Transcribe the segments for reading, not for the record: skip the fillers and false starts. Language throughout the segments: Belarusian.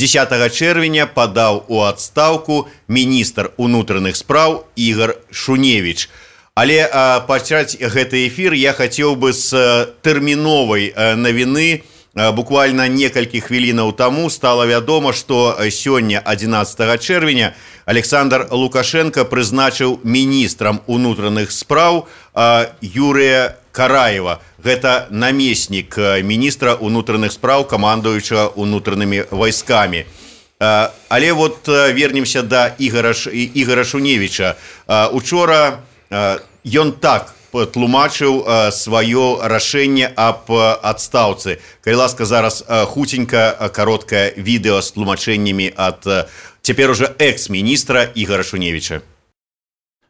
10 чэрвеня падаў у адстаўку міністр унутраных спраў Ігар Шуневіч. Але пачаць гэты эфір я хацеў бы з тэрміновай навіны. Буквально некалькі хвілінаў таму стала вядома, што сёння 11 чэрвеня Александр Лукашенко прызначыў міністрам унутраных спраў Юрыя Караева. Гэта намеснік міністра унутраных спраў, камандуючага унутранымі вайскамі. Але вот вернемся да Ігара Шуневіча. Учора ён так тлумачыў сваё рашэнне аб адстаўцы. Калі ласка, зараз хуценька кароткае відэо з тлумачэннямі ад цяпер уже экс-министра Игоря Шуневича.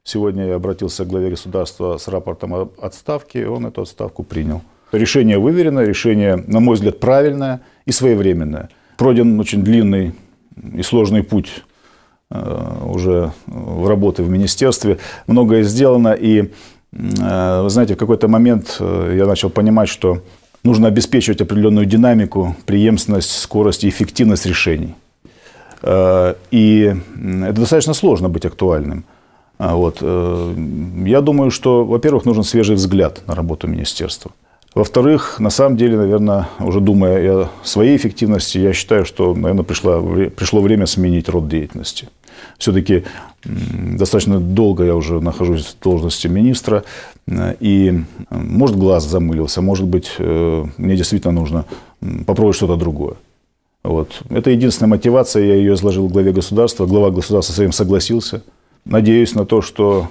Сегодня я обратился к главе государства с рапортом об отставке, и он эту отставку принял. Решение выверенное, решение, на мой взгляд, правильное и своевременное. Пройден очень длинный и сложный путь уже в работе в министерстве. Многое сделано, и вы знаете, в какой-то момент я начал понимать, что нужно обеспечивать определенную динамику, преемственность, скорость и эффективность решений. И это достаточно сложно быть актуальным. Вот. Я думаю, что, во-первых, нужен свежий взгляд на работу министерства. Во-вторых, на самом деле, наверное, уже думая о своей эффективности, я считаю, что, наверное, пришло время сменить род деятельности. Все-таки достаточно долго я уже нахожусь в должности министра, и, может, глаз замылился, может быть, мне действительно нужно попробовать что-то другое. Вот. Это единственная мотивация, я ее изложил в главе государства, глава государства с этим согласился. Надеюсь на то, что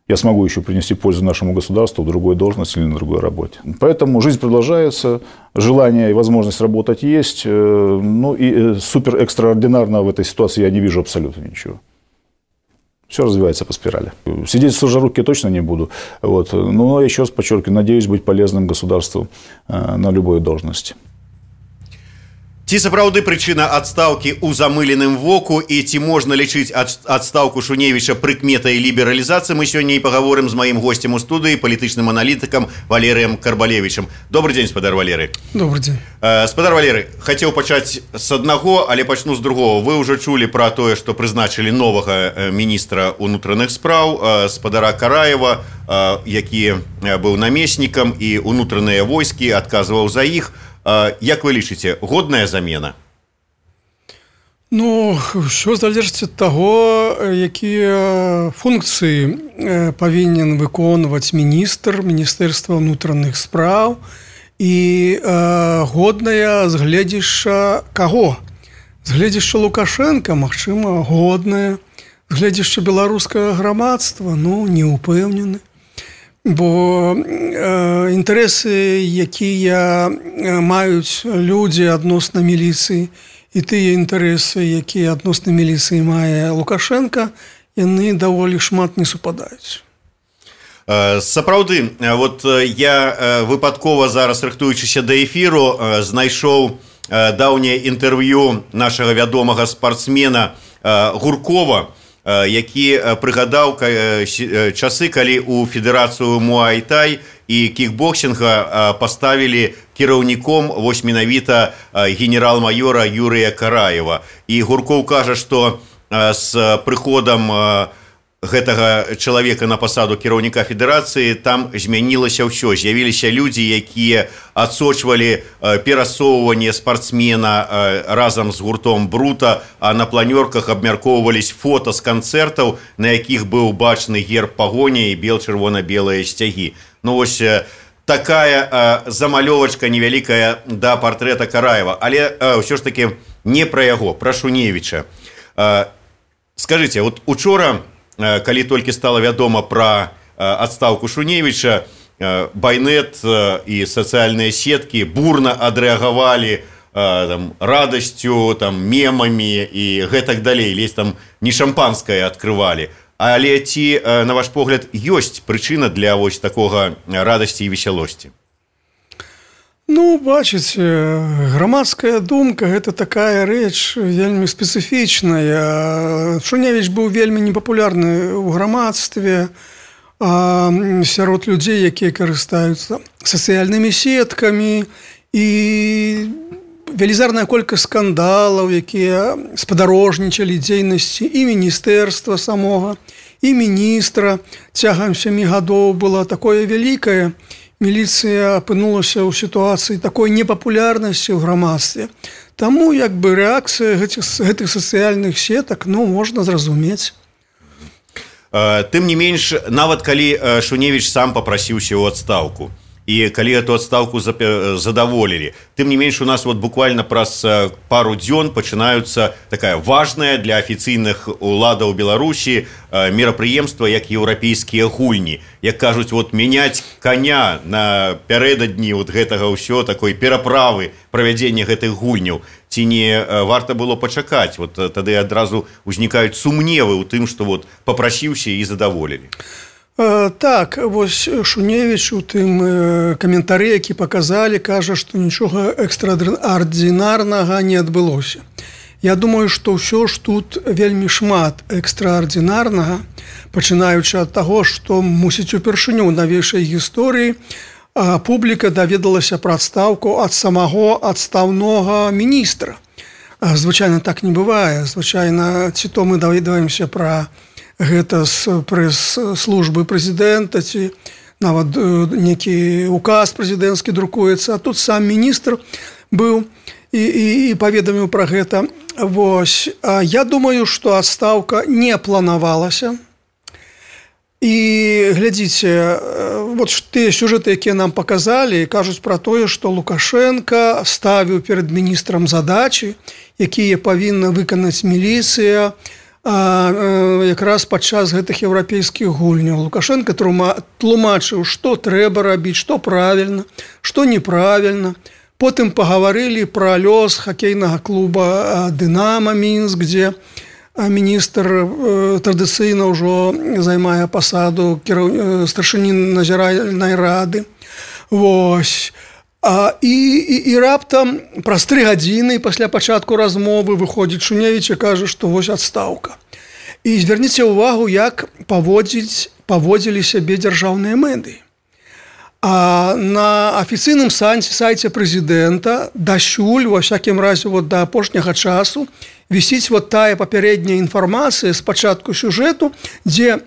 я смогу еще принести пользу нашему государству в другой должности или на другой работе. Поэтому жизнь продолжается, желание и возможность работать есть. Ну и супер экстраординарно в этой ситуации я не вижу абсолютно ничего. Все развивается по спирали. Сидеть сложа руки я точно не буду. Вот. Но еще раз подчеркиваю, надеюсь быть полезным государству на любой должности. Ці сапраўды прычына адстаўкі ў замыленым воку і ці можна лічыць адстаўку Шуневіча прыкметай лібералізацыі, мы сёння і пагаворым з маім госцем у студыі, палітычным аналітыкам Валерыем Карбалевічам. Добрый дзень, спадар Валерый. Добрый дзень. Спадар Валерый, хацеў пачаць з аднаго, але пачну з другого. Вы ўжо чулі пра тое, што прызначылі новага міністра унутраных спраў, спадара Караева, які быў намеснікам, і унутраныя войскі адказваў за іх. Як вы лічыце, годная замена? Ну, ўсё залежыць ад таго, якія функцыі павінен выконваць міністэрства ўнутраных спраў і годная з гледзяшча каго? З гледзяшча Лукашенка, магчыма, годная. З гледзяшча беларускага грамадства, ну, не ўпэўнены. Бо інтарэсы, якія маюць людзі адносна міліцыі, і тыя інтарэсы, якія адносна міліцыі мае Лукашенка, яны даволі шмат не супадаюць. Сапраўды, вот я выпадкова зараз, рыхтуючыся да эфіру, знайшоў даўняе інтэрв'ю нашага вядомага спартсмена Гуркова, які прыгадаў часы, калі ў федэрацыю муай-тай і кікбоксінга паставілі кіраўніком вось менавіта генерал-майора Юрыя Караева. І Гуркоў кажа, што з прыходам гэтага чалавека на пасаду кіраўніка федэрацыі там змянілася ўсё. З'явіліся людзі, якія адсочвалі перасоўванне спартсмена разам з гуртом Брута, а на планёрках абмяркоўвались фота з канцэртаў, на якіх быў бачны герб пагоні і бел-чырвона-белыя сцягі. Ну вось такая замалёвачка невялікая да партрэта Караева. Але ўсё ж такі не пра яго, пра Шуневіча. Скажыце, вот учора, калі толькі стала вядома пра адстаўку Шуневіча, байнет і сацыяльныя сеткі бурна адрэагавалі радасцю, мемамі і гэтак далей. Ледзь там не шампанскае адкрывалі. Але ці, на ваш погляд, ёсць прычына для вось такога радасці і весялосці? Ну, бачыце, грамадская думка – гэта такая рэч вельмі спецыфічная. Шуневіч быў вельмі непапулярны ў грамадстве, сярод людзей, якія карыстаюцца сацыяльнымі сеткамі. І велізарная колькасць скандалаў, якія спадарожнічалі дзейнасці і міністэрства самога, і міністра цягам 7 гадоў была такое вялікае. Міліцыя апынулася ў сітуацыі такой непапулярнасці ў грамадстве. Таму як бы рэакцыя гэтых сацыяльных сетак, можна зразумець. Тым не менш, нават калі Шуневіч сам папрасіўся ў адстаўку, і калі эту адстаўку задаволілі, тым не менш у нас буквально праз пару дзён пачынаюцца такая важная для афіцыйных уладаў Беларусі мерапрыемства, як еўрапейскія гульні. Як кажуць, мяняць коня напярэдадні гэтага ўсё, такой пераправы правядзення гэтых гульняў. Ці не варта было пачакаць? Тады адразу ўзнікаюць сумневы ў тым, што папрасіўся і задаволілі. Так, Шуневіч у тым каментары, які паказалі, кажа, што нічога экстраардынарнага не адбылося. Я думаю, што ўсё ж тут вельмі шмат экстраардынарнага, пачынаючы ад таго, што, мусіць, упершыню ў навейшай гісторыі публіка даведалася пра адстаўку ад самого адстаўнога міністра. Звычайна так не бывае. Звычайна, ці то мы даведаемся пра гэта з прэс-службы прэзідэнта, ці нават некі указ прэзідэнцкі друкуецца, а тут сам міністр быў і паведаміў пра гэта. Я думаю, што адстаўка не планавалася. І глядзіце, тыя сюжэты, якія нам паказалі, кажуць пра тое, што Лукашенка ставіў перад міністрам задачы, якія павінна выканаць міліцыя, якраз падчас гэтых еўрапейскіх гульняў. Лукашенко тлумачыў, што трэба рабіць, што правільна, што неправільна. Потым пагаварылі пра лёс хакейнага клуба «Дынамо» Мінск, дзе міністр традыцыйна ўжо займае пасаду старшыні назіральнай рады. І раптам праз 3 гадзіны пасля пачатку размовы выходзіць Шуневіч і кажа, што адстаўка. І звярніце ўвагу, як паводзілі сябе дзяржаўныя медыі. А на афіцыйным сайце прэзідэнта дасюль, ва всякім разе да апошняга часу, вісіць тая папярэдняя інфармацыя з пачатку сюжэту, дзе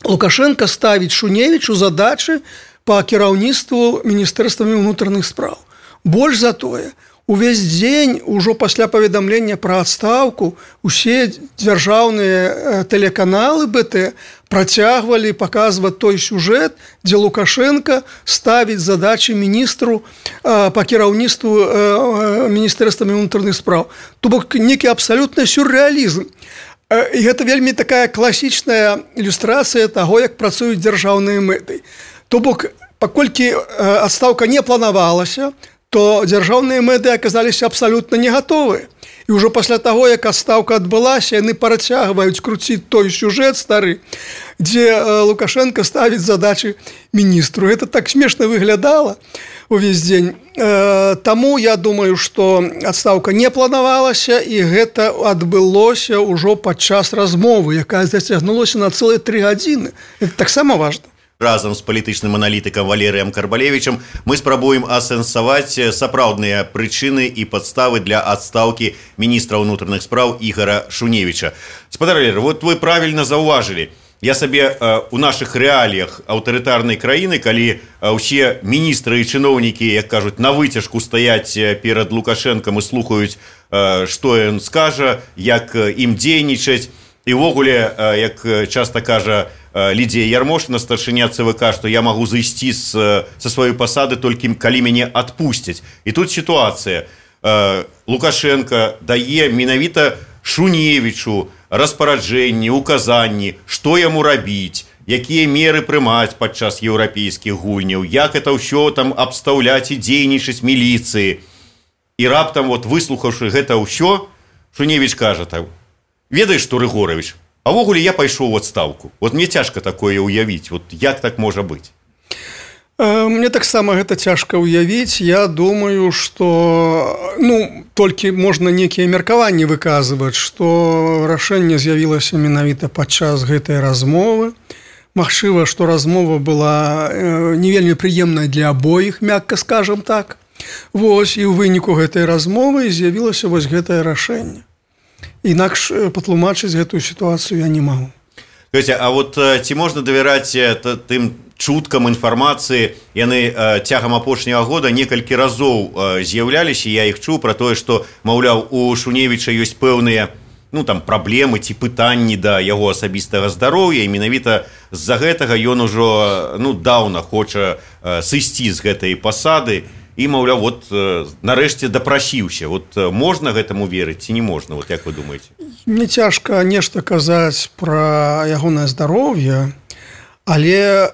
Лукашенко ставіць Шуневічу задачы па кіраўніцтву міністэрствамі ўнутраных спраў. Больш за тое, увесь дзень, ужо пасля паведамлення пра адстаўку, усе дзяржаўныя тэлеканалы БТ працягвалі паказваць той сюжэт, дзе Лукашенко ставіць задачы міністру па кіраўніцтву міністэрствамі ўнутраных спраў. То бок некі абсалютны сюррэалізм. І гэта вельмі такая класічная ілюстрацыя таго, як працуюць дзяржаўныя мэты. То бок, паколькі адстаўка не планавалася, то дзяржаўныя мэты аказаліся абсалютна не гатовыя. І ўжо пасля таго, як адстаўка адбылася, яны працягваюць круціць той сюжэт стары, дзе Лукашенко ставіць задачы міністру. Гэта так смешна выглядала увесь дзень. Таму я думаю, што адстаўка не планавалася, і гэта адбылося ўжо падчас размовы, якая зацягнулася на цэлыя 3 гадзіны. Гэта таксама важна. Разам з палітычным аналітыкам Валерыем Карбалевічам мы спрабуем асэнсаваць сапраўдныя прычыны і падставы для адстаўкі міністра ўнутраных спраў Ігора Шуневіча. Спадар Валерый, вы правільна заўважылі. Я сабе у нашых рэаліях аўтарытарнай краіны, калі ўсе міністры і чыноўнікі, як кажуць, на выцяжку стаяць перад Лукашэнкам і слухаюць, што ён скажа, як ім дзейнічаць. І ўвогуле, як часта кажа Лідія Ярмошына, старшыня ЦВК, што я магу зайсці са сваёй пасады толькі калі мяне адпусцяць. І тут сітуацыя. Лукашенко дае менавіта Шуневічу распараджэнні, указанні, што яму рабіць, якія меры прымаць падчас еўрапейскіх гульняў, як это ўсё там абстаўляць і дзейнічаць міліцыі. І раптам, выслухаўшы гэта ўсё, Шуневіч кажа так: ведаеш што, Рыгорович, а ввогуле я пайшоў у адстаўку. Мне цяжка такое ўявіць. Як так можа быць? Мне таксама гэта цяжка ўявіць. Я думаю, што толькі можна нейкія меркаванні выказваць, што рашэнне з'явілася менавіта падчас гэтай размовы. Магчыма, што размова была не вельмі прыемная для абоіх, мякка скажам так. Вось, і ў выніку гэтай размовы з'явілася вось гэтае рашэнне. Інакш патлумачыць гэтую сітуацыю я не магу. А вот ці можна давяраць тым чуткам інфармацыі? Яны цягам апошняга года некалькі разоў з'яўляліся, я іх чуў пра тое, што, маўляў, у Шуневіча ёсць пэўныя праблемы ці пытанні да яго асабістага здароўя, і менавіта з-за гэтага ён ужо даўна хоча сысці з гэтай пасады і, маўляў, нарэшце дапрасіўся. Можна гэтаму верыць ці не можна? Як вы думаеце? Мне цяжка нешта казаць пра ягонае здароўе, але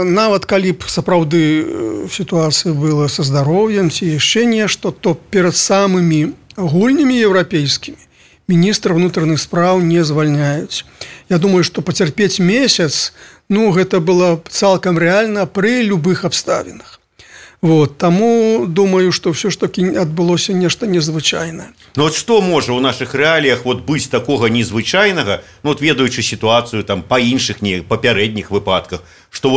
нават калі б сапраўды сітуацыя была са здароўем ці яшчэ нешта, то перад самымі гульнямі еўрапейскімі міністра ўнутраных спраў не звальняюць. Я думаю, што пацярпець месяц, гэта было цалкам рэальна пры любых абставінах. Таму думаю, што ўсё ж такі адбылося нешта незвычайнае. Што можа ў нашых рэаліях быць такога незвычайнага, ведаючы сітуацыю па іншых папярэдніх выпадках, што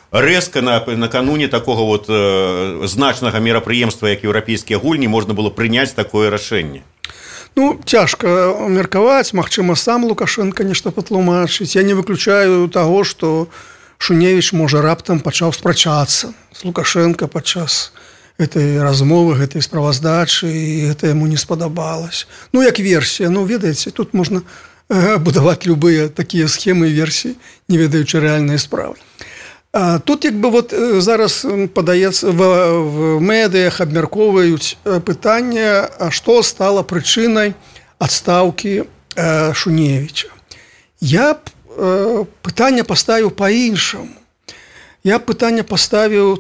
рэзка накануне такога значнага мерапрыемства, як еўрапейскія гульні, можна было прыняць такое рашэнне? Цяжка меркаваць, магчыма, сам Лукашенко нешта патлумачыць. Я не выключаю таго, што Шуневіч, можа, раптам пачаў спрачацца з Лукашенко падчас гэтай размовы, гэтай справаздачы, і гэта яму не спадабалася. Як версія, ведаеце, тут можна будаваць любыя такія схемы і версіі, не ведаючы рэальнай справы. Тут зараз падаецца, в медыях абмяркоўваюць пытанне, што стала прычынай адстаўкі Шуневіча. Я пытанне паставіў па-іншаму. Я пытанне паставіў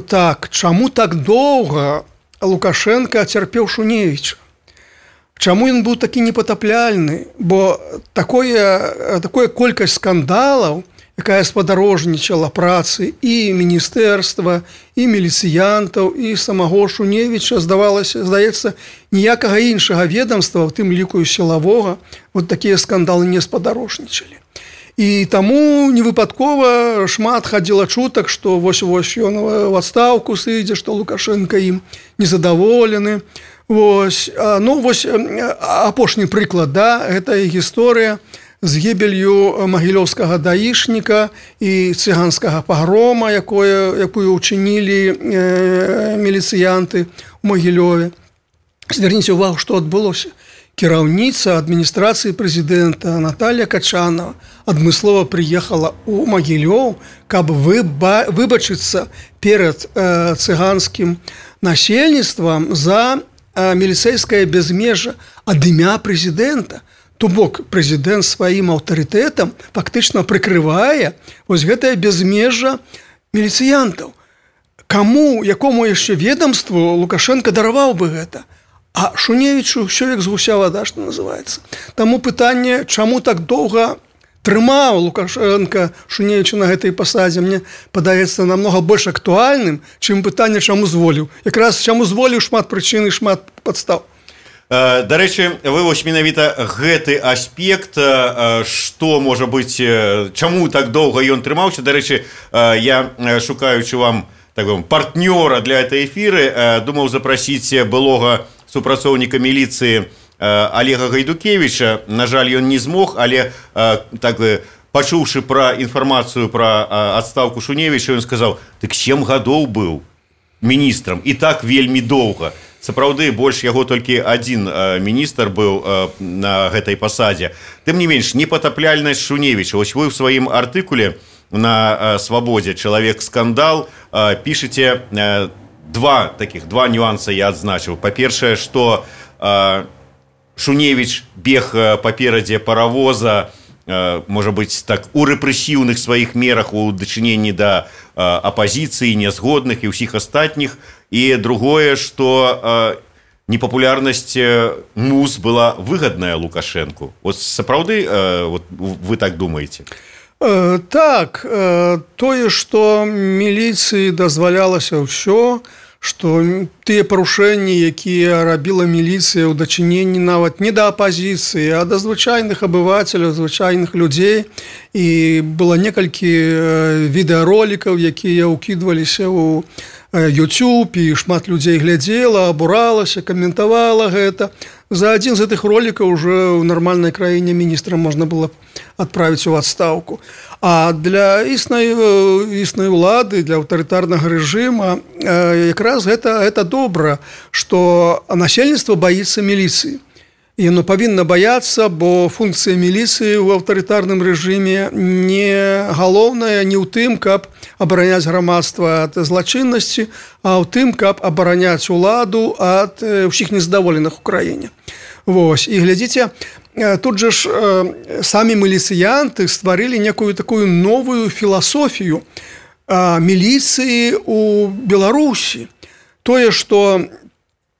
так, чаму так доўга Лукашенко цярпеў Шуневіча? Чаму ён быў такі непатапляльны? Бо такая колькасць скандалаў, якая спадарожнічала працы і міністэрства, і міліцыянтаў, і самого Шуневіча, здаецца, ніякага іншага ведомства, у тым ліку і сілавога, такія скандалы не спадарожнічалі. І таму невыпадкова шмат хадзіла чутак, што вось-вось ён в адстаўку сыдзе, што Лукашенко ім незадаволены. Апошні прыклад, гэта гісторыя з гібелью магілёўскага даішніка і цыганскага пагрома, якую ўчынілі міліцыянты ў Магілёве. Звярніце ўвагу, што адбылося. Кіраўніца адміністрацыі прэзідэнта Наталья Качанова адмыслова прыехала ў Магілёў, каб выбачыцца перад цыганскім насельніцтвам за міліцэйскае бязмежжа ад імя прэзідэнта. То бок прэзідэнт сваім аўтарытэтам фактычна прыкрывае гэтае бязмежжа міліцыянтаў. Якому яшчэ ведомству Лукашенко дараваў бы гэта? А Шуневічу ўсё як з гуся вада, што называецца. Таму пытанне, чаму так доўга трымаў Лукашенко Шуневіча на гэтай пасадзе, мне падаецца намнога больш актуальным, чым пытанне, чаму зволіў. Якраз чаму зволіў, шмат прычын і шмат падстаў. Дарэчы, вы менавіта гэты аспект, што можа быць, чаму так доўга ён трымаўся. Дарэчы, я, шукаючы вам партнёра для этой эфіры, думаў запрасіць былога супрацоўніка міліцыі Олега Гайдукевіча. На жаль, ён не змог, але пачуўшы пра інфармацыю пра адстаўку Шуневіча, ён сказаў: «Дык 7 гадоў быў міністрам, і так вельмі доўга». Сапраўды, больш яго толькі адзін міністр быў на гэтай пасадзе. Тым не менш, непатапляльнасць Шуневіча. Вось вы ў сваім артыкуле на «Свабодзе. Чалавек-скандал» пішаце два нюанса я адзначыў. Па-першае, што Шуневіч бег паперадзе паравоза, можа быць, так, у рэпрэсіўных сваіх мерах у дачыненні да апазіцыі, нязгодных і ўсіх астатніх. І другое, што непапулярнасць МУЗ была выгадная Лукашенку. Сапраўды вы так думаеце? Так, тое, што міліцыі дазвалялася ўсё, што тыя парушэнні, якія рабіла міліцыя ў дачыненні нават не да апазіцыі, а да звычайных абывацеляў, звычайных людзей. І было некалькі відэаролікаў, якія ўкідваліся ў YouTube, і шмат людзей глядзела, абуралася, каментавала гэта. За адзін з гэтых ролікаў уже ў нармальнай краіне міністра можна было адправіць у адстаўку. А для існай улады, для аўтарытарнага рэжыма якраз гэта добра, што насельніцтва баіцца міліцыі. І яно павінна баяцца, бо функцыя міліцыі ў аўтарытарным рэжыме не галоўная не ў тым, каб абараняць грамадства ад злачыннасці, а ў тым, каб абараняць уладу ад усіх незадаволеных у краіне. Вось. І глядзіце, тут жа ж самі міліцыянты стварылі некую такую новую філасофію міліцыі ў Беларусі. Тое, што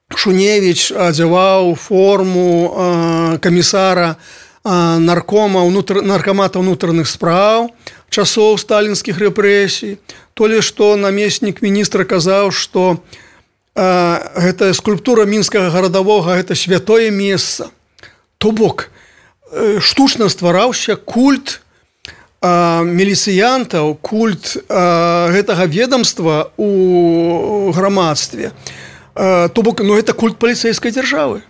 Шуневіч адзяваў форму камісара наркамата ўнутраных спраў часоў сталінскіх рэпрэсій. Тое, што намеснік міністра казаў, што гэта скульптура мінскага гарадавога, гэта святое месца. То бок, штучна ствараўся культ міліцыянтаў, культ гэтага ведомства ў грамадстве. То бок, это культ паліцэйскай дзяржавы.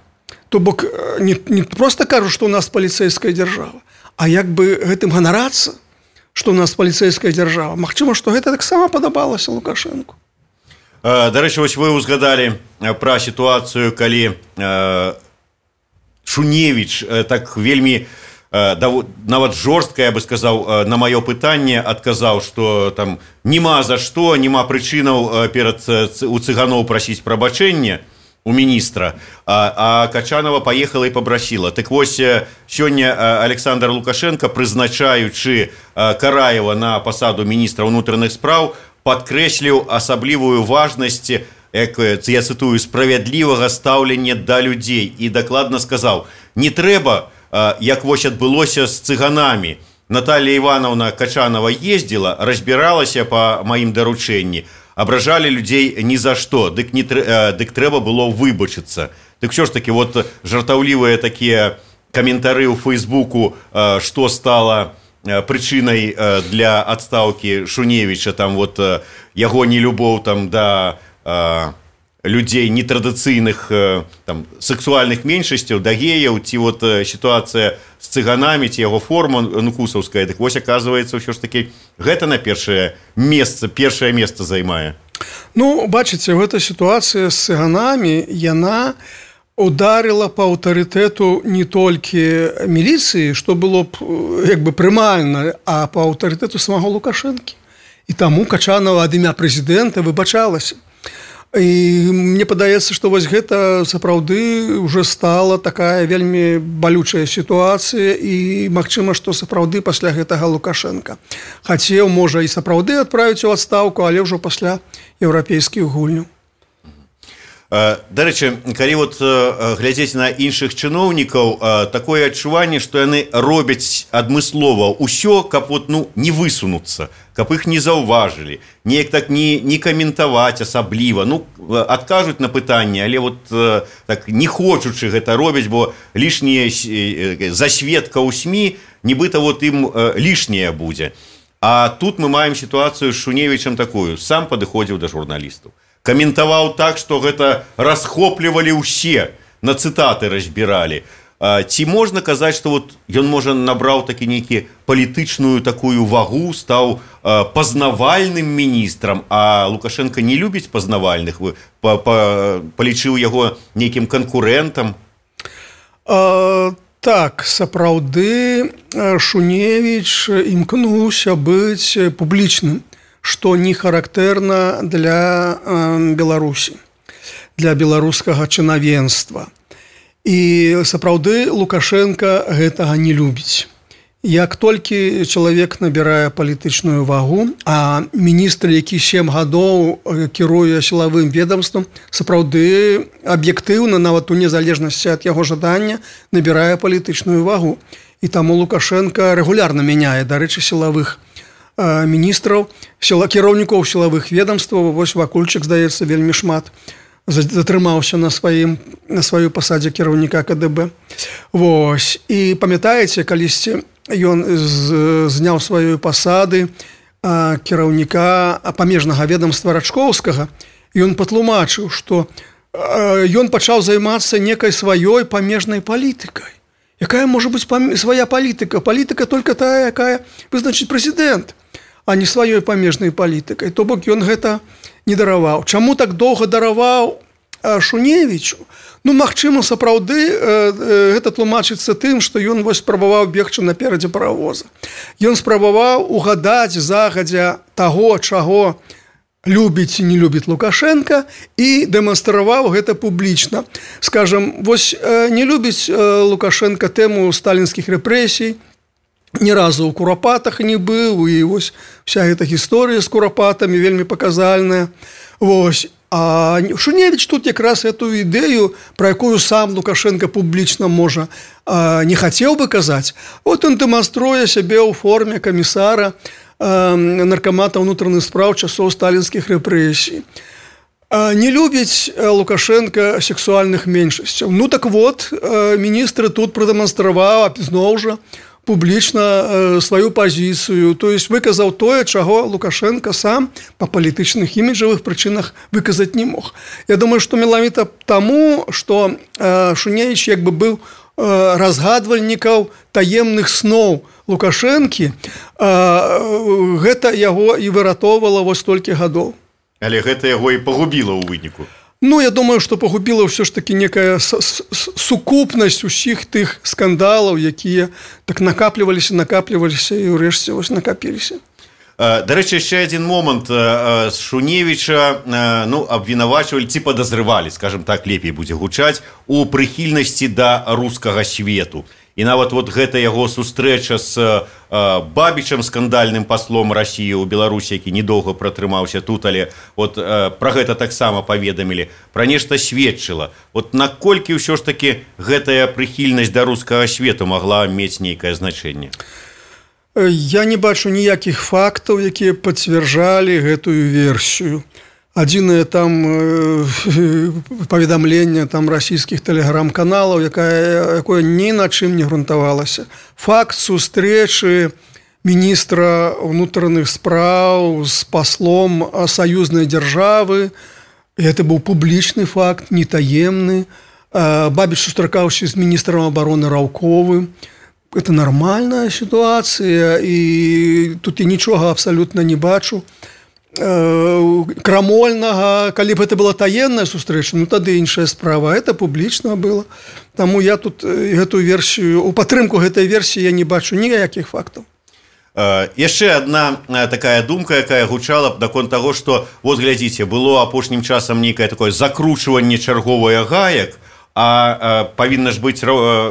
То бок, не проста кажу, што ў нас паліцэйская дзяржава, а як бы гэтым ганарацца, што ў нас паліцэйская дзяржава. Магчыма, што гэта таксама падабалася Лукашэнку. Дарэчы, вось вы ўзгадалі пра сітуацыю, калі Шуневіч так вельмі нават жорстка, я бы сказаў, на маё пытанне адказаў, што там нема за што, нема прычынаў у цыганоў прасіць прабачэння у міністра, а Качанова паехала і пабрасіла. Так вось, сёння Александр Лукашенко, прызначаючы Караева на пасаду міністра ўнутраных спраў, падкрэсліў асаблівую важнасць, я цытую, справядлівага стаўлення да людзей, і дакладна сказаў: не трэба, як вось адбылося з цыганамі. Наталья Ивановна Качанова ездила, разбіралася па маім даручэнні, абражалі людзей ні за што, дык трэба было выбачыцца. Дык що ж таки, вот жартаўлівыя такія каментары ў Фейсбуку, што стала прычынай для адстаўкі Шуневіча, там вот яго нелюбоў там да людзей нетрадыцыйных сексуальных меншасцяў, да геяў, ці вот сітуацыя з цыганамі, ці яго форма нукусаўская. Так вось, аказваецца, ўсё ж такі гэта на першае месца займае. Ну, бачыце, гэта сітуацыя з цыганамі, яна ударила па аўтарытэту не толькі міліцыі, што было б як бы прымальна, а па аўтарытэту самого Лукашэнкі. І таму Качанова ад імя прэзідэнта выбачалася. І мне падаецца, што вось гэта сапраўды уже стала такая вельмі балючая сітуацыя, і магчыма, што сапраўды пасля гэтага Лукашенка хацеў, можа, і сапраўды адправіць у адстаўку, але ўжо пасля еўрапейскіх гульняў. Дарэчы, калі вот глядзець на іншых чыноўнікаў, такое адчуванне, што яны робяць адмыслова ўсё, каб вот, не высунуцца, каб іх не заўважылі, неяк так не каментаваць асабліва, адкажуць на пытанне, але вот так не хочучы гэта робяць, бо лішняе засветка ў СМІ, нібыта вот ім лішняе будзе. А тут мы маем сітуацыю з Шуневічам такую, сам падыходзіў да журналістаў, каментаваў так, што гэта расхоплівалі ўсе, на цытаты разбіралі. Ці можна казаць, што вот ён, можа, набраў такі нейкі палітычную такую вагу, стаў пазнавальным міністрам, а Лукашенко не любіць пазнавальных, палічыў яго нейкім канкурэнтам? Так, сапраўды Шуневіч імкнуўся быць публічным, што не характэрна для Беларусі, для беларускага чынавенства. І сапраўды Лукашенко гэтага не любіць. Як толькі чалавек набірае палітычную вагу, а міністр, які 7 гадоў кіруе сілавым ведомствам, сапраўды аб'ектыўна, нават у незалежнасці ад яго жадання, набірае палітычную вагу. І таму Лукашенко рэгулярна мяняе, дарэчы, сілавых міністраў, кіраўнікоў сілавых ведомстваў. Вось Вакульчык, здаецца, вельмі шмат затрымаўся на сваёй пасадзе кіраўніка КДБ. Вось. І памятаеце, калісьці ён зняў сваёй пасады кіраўніка памежнага ведомства Рачкоўскага, ён патлумачыў, што ён пачаў займацца некай сваёй памежнай палітыкай. Якая можа быць свая палітыка? Палітыка только тая, якая вызначыць прэзідэнт, а не сваёй памежнай палітыкай. То бок ён гэта не дараваў. Чаму так доўга дараваў Шуневічу? Ну, магчыма, сапраўды гэта тлумачыцца тым, што ён вось спрабаваў бегчы наперадзе паравоза. Ён спрабаваў угадаць загадзя таго, чаго любіць і не любіць Лукашенко, і дэманстраваў гэта публічна. Скажам, вось не любіць Лукашенко тэму сталінскіх рэпрэсій, ні разу ў Курапатах не быў, і вось вся гэта гісторыя з Курапатамі вельмі паказальная. Вось. А Шуневіч тут якраз эту ідэю, пра якую сам Лукашенко публічна, можа, не хацеў бы казаць. От ён дэманструе сябе ў форме камісара наркамата ўнутраных спраў часоў сталінскіх рэпрэсій. Не любіць Лукашенко сексуальных меншасцяў. Ну так вот, міністр тут прадэманстраваў зноў жа публічна сваю пазіцыю, то есть выказаў тое, чаго Лукашенко сам па палітычных іміджавых прычынах выказаць не мог. Я думаю, што менавіта таму, што Шуневіч як бы быў разгадвальнікаў таемных сноў Лукашэнкі, гэта яго і выратоўвала вось столькі гадоў. Але гэта яго і пагубіла ў выніку. Ну, я думаю, што пагубіла ўсё ж такі некая сукупнасць усіх тых скандалаў, якія так накапліваліся і ўрэшце вось накапіліся. Дарэчы, яшчэ адзін момант. Шуневіча абвінавачвалі ці падазрывалі, скажем так, лепей будзе гучаць, у прыхільнасці да рускага свету. І нават вот гэта яго сустрэча з Бабічам, скандальным паслом Расіі ў Беларусі, які недоўга пратрымаўся тут, але вот пра гэта таксама паведамілі, пра нешта сведчыла. Вот наколькі ўсё ж такі гэтая прыхільнасць да рускага свету магла мець нейкае значэнне? Я не бачу ніякіх фактаў, якія пацвярджалі гэтую версію. Адзінае там паведамленне там расійскіх тэлеграм-каналаў, якое ні на чым не грунтавалася. Факт сустрэчы міністра ўнутраных спраў з паслом саюзнай дзяржавы, гэта быў публічны факт, не таемны. Бабіч сустракаўся з міністрам абароны Раўковым. Это нармальная сітуацыя, і тут я нічога абсалютна не бачу крамольнага. Калі б гэта была таемная сустрэча, ну тады іншая справа. Это публічна было. Таму я тут гэтую версію, у падтрымку гэтай версіі я не бачу ніякіх фактаў. Яшчэ адна такая думка, якая гучала наконт таго, што вот глядзіце, было апошнім часам нейкае такое закручванне чарговае гаек, а павінна ж быць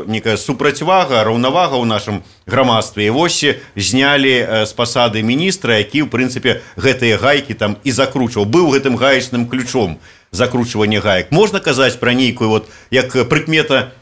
некая супрацьвага, раўнавага ў нашым грамадстве. І вось знялі з пасады міністра, які, ў прынцыпе, гэтыя гайкі там і закручваў. Быў гэтым гаечным ключом закручвання гаек. Можна казаць пра нейкую, вот, як прыкмета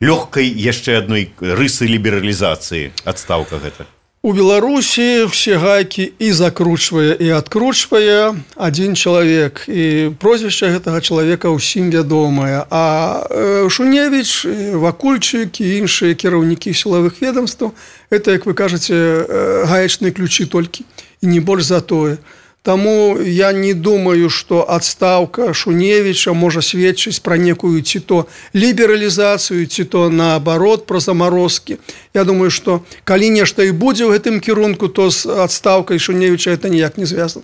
лёгкай яшчэ адной рысы лібералізацыі адстаўка гэта? У Беларусі все гайкі і закручвае, і адкручвае адзін чалавек. І прозвішча гэтага чалавека ўсім вядомае. А Шуневіч, Вакульчык і іншыя кіраўнікі сілавых ведомстваў – это, як вы кажаце, гаечныя ключы толькі, і не больш за тое. Таму я не думаю, што адстаўка Шуневіча можа сведчыць пра некую ці то лібералізацыю, ці то наабарот пра замарозкі. Я думаю, што калі нешта і будзе ў гэтым кірунку, то з адстаўкай Шуневіча это ніяк не звязана.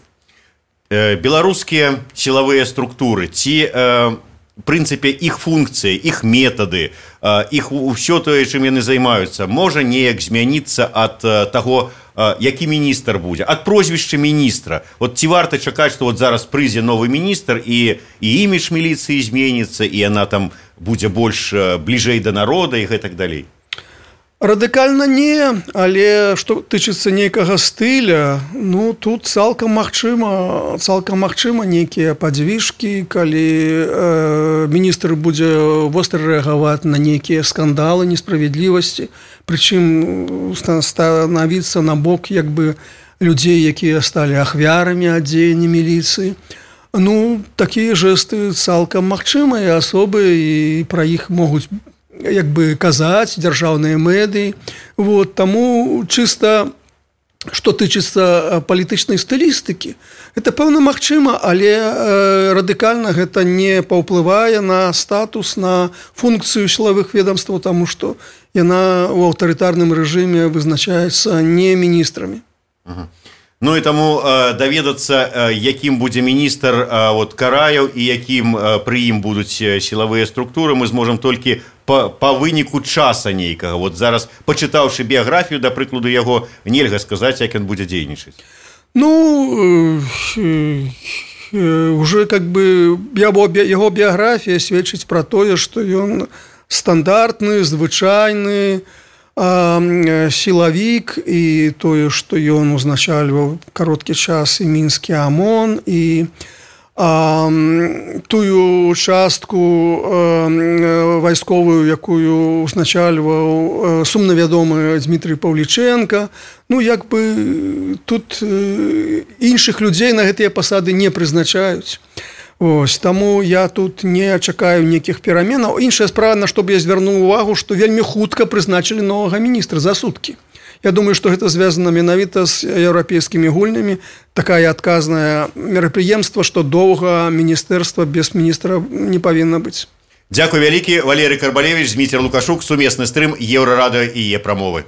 Беларускія сілавыя структуры, ці в прынцыпе іх функцыі, іх метады, іх усё тое, чым яны займаюцца, можа неяк змяніцца ад таго, які міністр будзе, ад прозвішча міністра. Вот ці варта чакаць, што вот зараз прыйдзе новы міністр і імідж міліцыі зменіцца, і яна там будзе больш бліжэй да народа і гэтак далей? Радыкальна не, але што тычыцца нейкага стыля, ну тут цалкам магчыма нейкія падзвіжкі, калі міністр будзе востра рэагаваць на нейкія скандалы, несправядлівасці, прычым станавіцца на бок як бы людзей, якія сталі ахвярамі ад дзеяння міліцыі. Ну, такія жэсты цалкам магчымыя асобы, і пра іх могуць як бы казаць дзяржаўныя медыі. Вот, таму чыста што тычыцца палітычнай стылістыкі, это пэўна магчыма, але радыкальна гэта не паўплывае на статус, на функцыю сілавых ведомстваў, таму што яна ў аўтарытарным рэжыме вызначаецца не міністрамі. Ну і таму даведацца, якім будзе міністр Караеў і якім пры ім будуць сілавыя структуры, мы зможам толькі па выніку часа нейкага. Зараз, пачытаўшы біяграфію, да прыкладу яго, нельга сказаць, як ён будзе дзейнічаць. Ну, уже как бы яго біяграфія сведчыць пра тое, што ён стандартны, звычайны сілавік, і тое, што ён узначальваў кароткі час і мінскі АМОН, і тую частку вайсковую, якую узначальваў сумна вядомы Дмітрый Паўлічэнка. Ну, як бы тут іншых людзей на гэтыя пасады не прызначаюць. Таму я тут не чакаю нейкіх пераменаў. Іншая справа, на што б я звярнуў увагу, што вельмі хутка прызначылі новага міністра за суткі. Я думаю, што гэта звязана менавіта з еўрапейскімі гульнямі. Такая адказнае мерапрыемства, што доўга міністэрства без міністра не павінна быць. Дзякуй вялікі. Валерый Карбалевіч, Зміцер Лукашук, сумесны стрым Еўрарадыё і Е-прамовы.